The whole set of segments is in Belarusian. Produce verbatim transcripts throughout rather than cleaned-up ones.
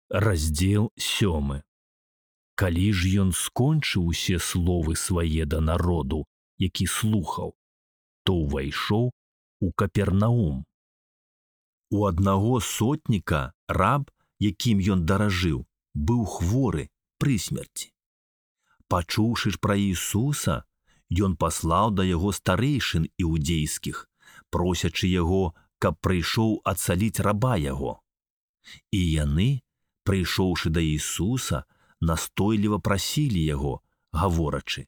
Раздзел сёмы. Калі ж ён скончыў усе словы свае да народу, які слухаў, то ўвайшоў у Капернаум. У аднаго сотніка раб, якім ён даражыў, быў хворы пры смерці. Пачуўшы ж пра Ісуса, ён паслаў да яго старэйшын іудзейскіх, просячы яго, каб прыйшоў адцаліць раба яго. І яны, прыйшоўшы да Ісуса, настойліва прасілі яго, гаворачы: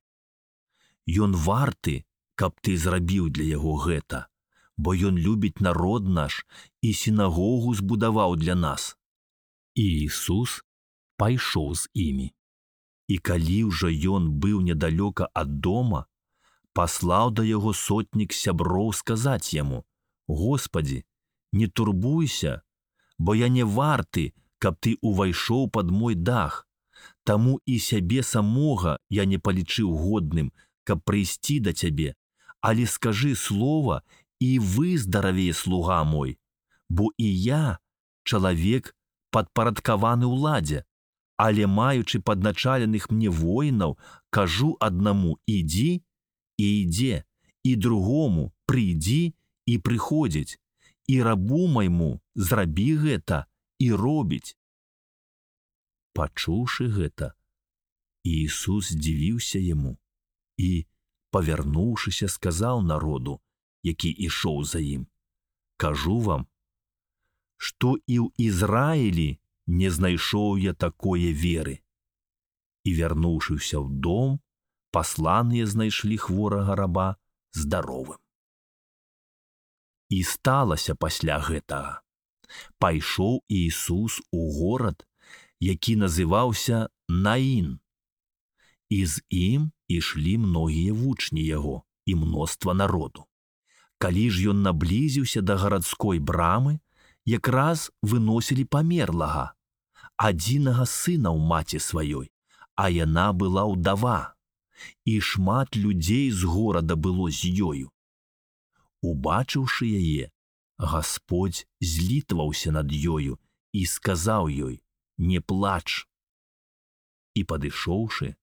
«Ён варты, каб ты зрабіў для яго гэта, бо ён любіць народ наш і сінагогу збудаваў для нас». І Ісус пайшоў з імі. І калі ўжо ён быў недалёка ад дома, паслаў да яго сотнік сяброў сказаць яму: «Господі, не турбуйся, бо я не варты, каб ты увайшоў пад мой дах, таму і сябе самога я не палічыў годным, каб прыйсці да цябе, але скажы слова, і выздаравее слуга мой, бо і я, чалавек, падпарадкаваны ўладзе, але маючы падначаленых мне воінаў, кажу аднаму: ідзі, і ідзе, і другому: прыйдзі, і прыходзіць, і рабу майму зрабі гэта, і робіць». Пачуўшы гэта, Ісус здзівіўся яму і, павярнуўшыся, сказаў народу, які ішоў за ім: «Кажу вам, што і ў Ізраілі не знайшоў я такое веры». І, вярнуўшыся ў дом, пасланыя знайшлі хворага раба здаровым. І сталася пасля гэтага. Пайшоў Ісус у горад, які называўся Наін. І з ім ішлі многія вучні яго і мноства народу. Калі ж ён наблізіўся да гарадской брамы, якраз выносілі памерлага, адзінага сына ў маці сваёй, а яна была ўдава, і шмат людзей з горада было з ёю. Убачыўшы яе, Гасподзь злітваўся над ёю і сказаў ёй: «Не плач». І, падышоўшы,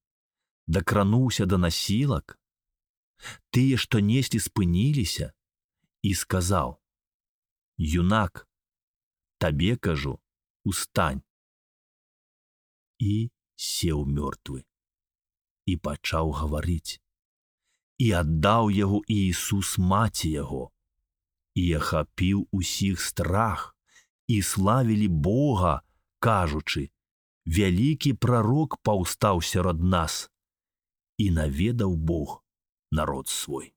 дакрануўся да насілак. Тыя, што неслі, спыніліся, і сказаў: «Юнак, табе кажу, устань». І сеў мёртвы, і пачаў гаварыць. І аддаў яго Ісус маці яго. І ахапіў усіх страх, і славілі Бога, кажучы: «Вялікі прарок паўстаў сярод нас, і наведаў Бог народ свой».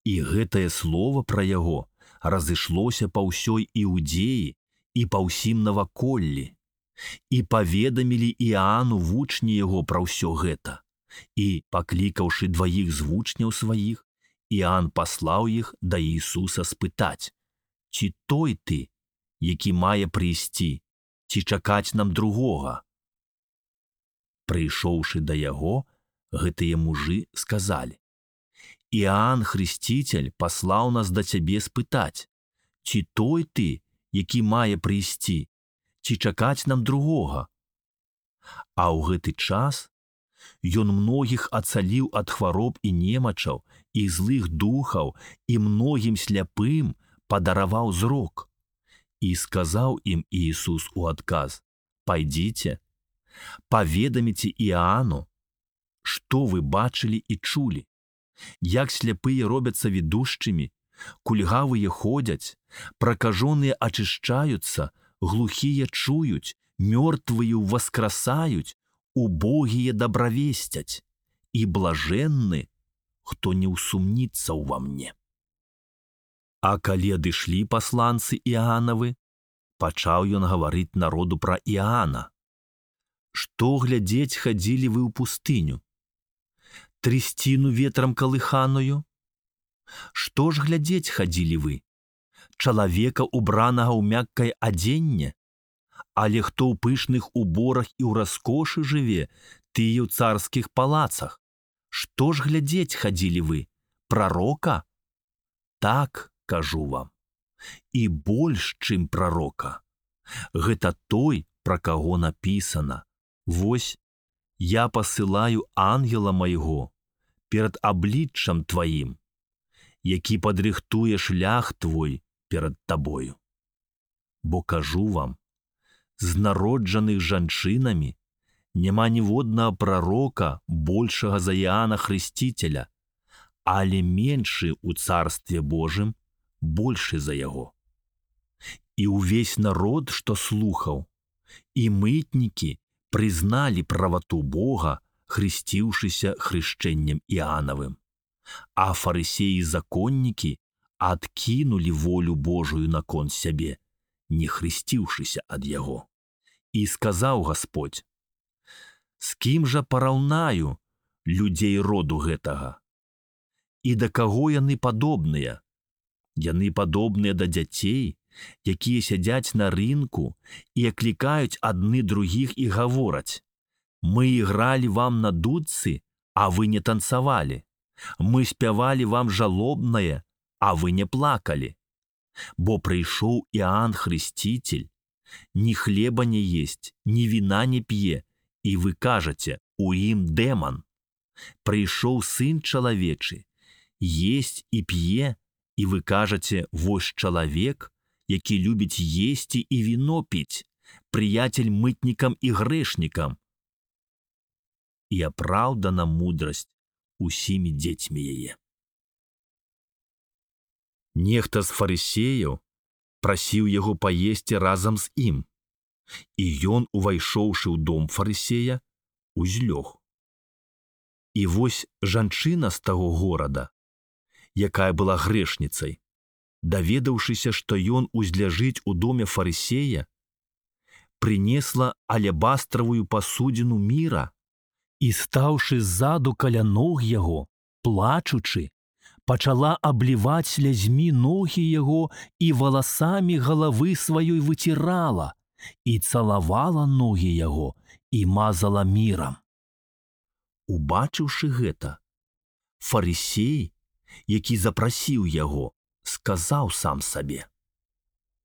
І гэтае слово пра яго разышлося па ўсёй Іудзеі і па ўсім наваколлі. І паведамілі Іану вучні яго пра ўсё гэта. І, паклікаўшы дваіх з вучняў сваіх, Іан паслаў іх да Ісуса спытаць: «Ці той ты, які мае прыйсці, ці чакаць нам другога?» Прыйшоўшы да яго, гэтыя мужы сказалі: «Іан Хрысціцель паслаў нас да цябе спытаць: ці той ты, які мае прыйсці, ці чакаць нам другога?» А ў гэты час ён многіх ацаліў ад хвароб і немачаў, і злых духаў, і многім сляпым падараваў зрок. І сказаў ім Ісус у адказ: «Пайдзіце, паведаміце Іану, што вы бачылі і чулі, як сляпыя робяцца відушчымі, кульгавыя ходзяць, пракажоныя ачышчаюцца, глухія чуюць, мёртвыя ўваскрасаюць, убогія дабравесцяць, і блажэнны, хто не ўсумніцца ўва мне». А калі адышлі пасланцы Іанавы, пачаў ён гаварыць народу пра Іана: «Што глядзець хадзілі вы ў пустыню? Трысціну ветрам калыханую? Што ж глядзець хадзілі вы? Чалавека, убранага ў мяккае адзенне? Але хто ў пышных уборах і ў раскошы жыве, тыя ў царскіх палацах? Што ж глядзець хадзілі вы? Прарока? Так, кажу вам, і больш, чым прарока. Гэта той, пра каго напісана: «Вось, я пасылаю ангела майго перад абліччам тваім, які падрыхтуе шлях твой перад табою. Бо кажу вам, з народжаных жанчынамі няма ніводнага прарока большага за Іоанна Хрысціцеля, але меншы ў царстве Божым большы за яго». І ўвесь народ, што слухаў, і мытнікі прызналі правату Бога, хрысціўшыся хрышчэннем Іанавым, а фарысеі і законнікі адкінулі волю Божую наконт сябе, не хрысціўшыся ад яго. І сказаў Гасподзь: «З кім жа параўнаю людзей роду гэтага? І да каго яны падобныя? Яны падобныя да дзяцей, якія сядзяць на рынку і аклікаюць адны другіх і гавораць: мы ігралі вам на дудцы, а вы не танцавалі. Мы спявалі вам жалобнае, а вы не плакалі. Бо прыйшоў Іоанн Хрысціцель, ні хлеба не есць, ні віна не п'е, і вы кажаце, у ім дэман. Прыйшоў сын чалавечы, есць і п'е, і вы кажаце, вось чалавек, які любіць есці і віно піць, прыяцель мытнікам і грэшнікам. І апраўдана мудрасць усімі дзецьмі яе». Нехта з фарысеяў прасіў яго паесці разам з ім, і ён, увайшоўшы ў дом фарысея, узлёг. І вось жанчына з таго горада, якая была грэшніцай, даведаўшыся, што ён узляжыць у доме фарысея, прынесла алебастравую пасудзіну міра і, стаўшы ззаду каля ног яго, плачучы, пачала абліваць слязьмі ногі яго і валасамі галавы сваёй выцірала, і цалавала ногі яго і мазала мірам. Убачыўшы гэта, фарысей, які запрасіў яго, сказаў сам сабе: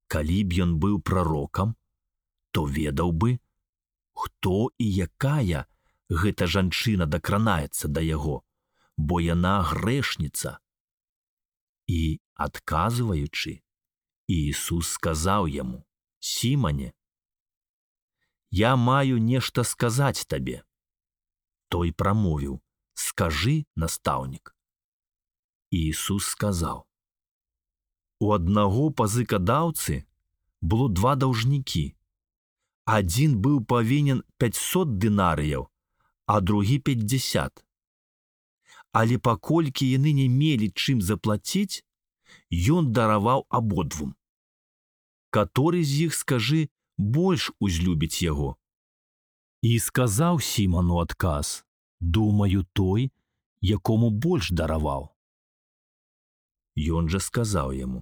калі б ён быў прарокам, то ведаў бы, хто і якая гэта жанчына дакранаецца да яго, бо яна грэшніца. І, адказваючы, Іісус сказаў яму: «Сімане, я маю нешта сказаць табе». Той прамовіў: «Скажы, настаўнік». Іісус сказаў: «У аднаго пазыкадаўцы было два даўжнікі. Адзін быў павінен пяцьсот дынарыяў, а другі пятьдесят. Але паколькі яны не мелі чым заплаціць, ён дараваў абодвум. Каторы з іх, скажы, больш узлюбіць яго?» І сказаў Сіману адказ: «Думаю, той, якому больш дараваў». Ён жа сказаў яму: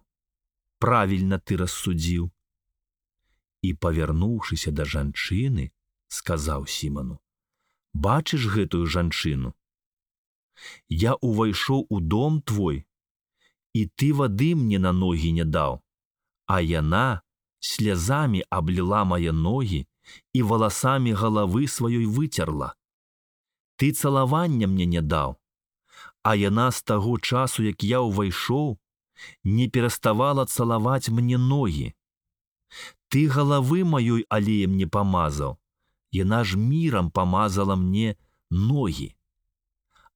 «Правільна ты рассудзіў». І, павярнуўшыся да жанчыны, сказаў Сіману: «Бачыш гэтую жанчыну? Я увайшоў у дом твой, і ты вады мне на ногі не даў, а яна слязамі абліла мае ногі і валасамі галавы сваёй выцерла. Ты цалавання мне не даў, а яна з таго часу, як я ўвайшоў, не пераставала цалаваць мне ногі. Ты галавы маёй алеем не памазаў, яна ж мірам памазала мне ногі.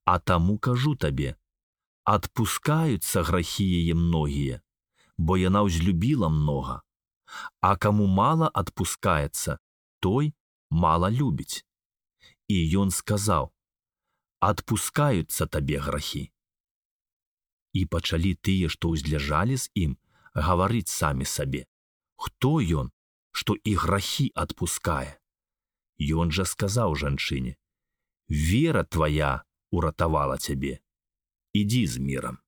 А таму кажу табе, адпускаюцца грахі яе многія, бо яна ўзлюбіла многа, а каму мала адпускаецца, той мала любіць». І ён сказаў: «Адпускаюцца табе грахі». І пачалі тыя, што ўзляжалі з ім, гаварыць самі сабе: «Хто ён, што і грахі адпускае?» Ён жа сказаў жанчыне: «Вера твая уратавала цябе. Ідзі з мірам».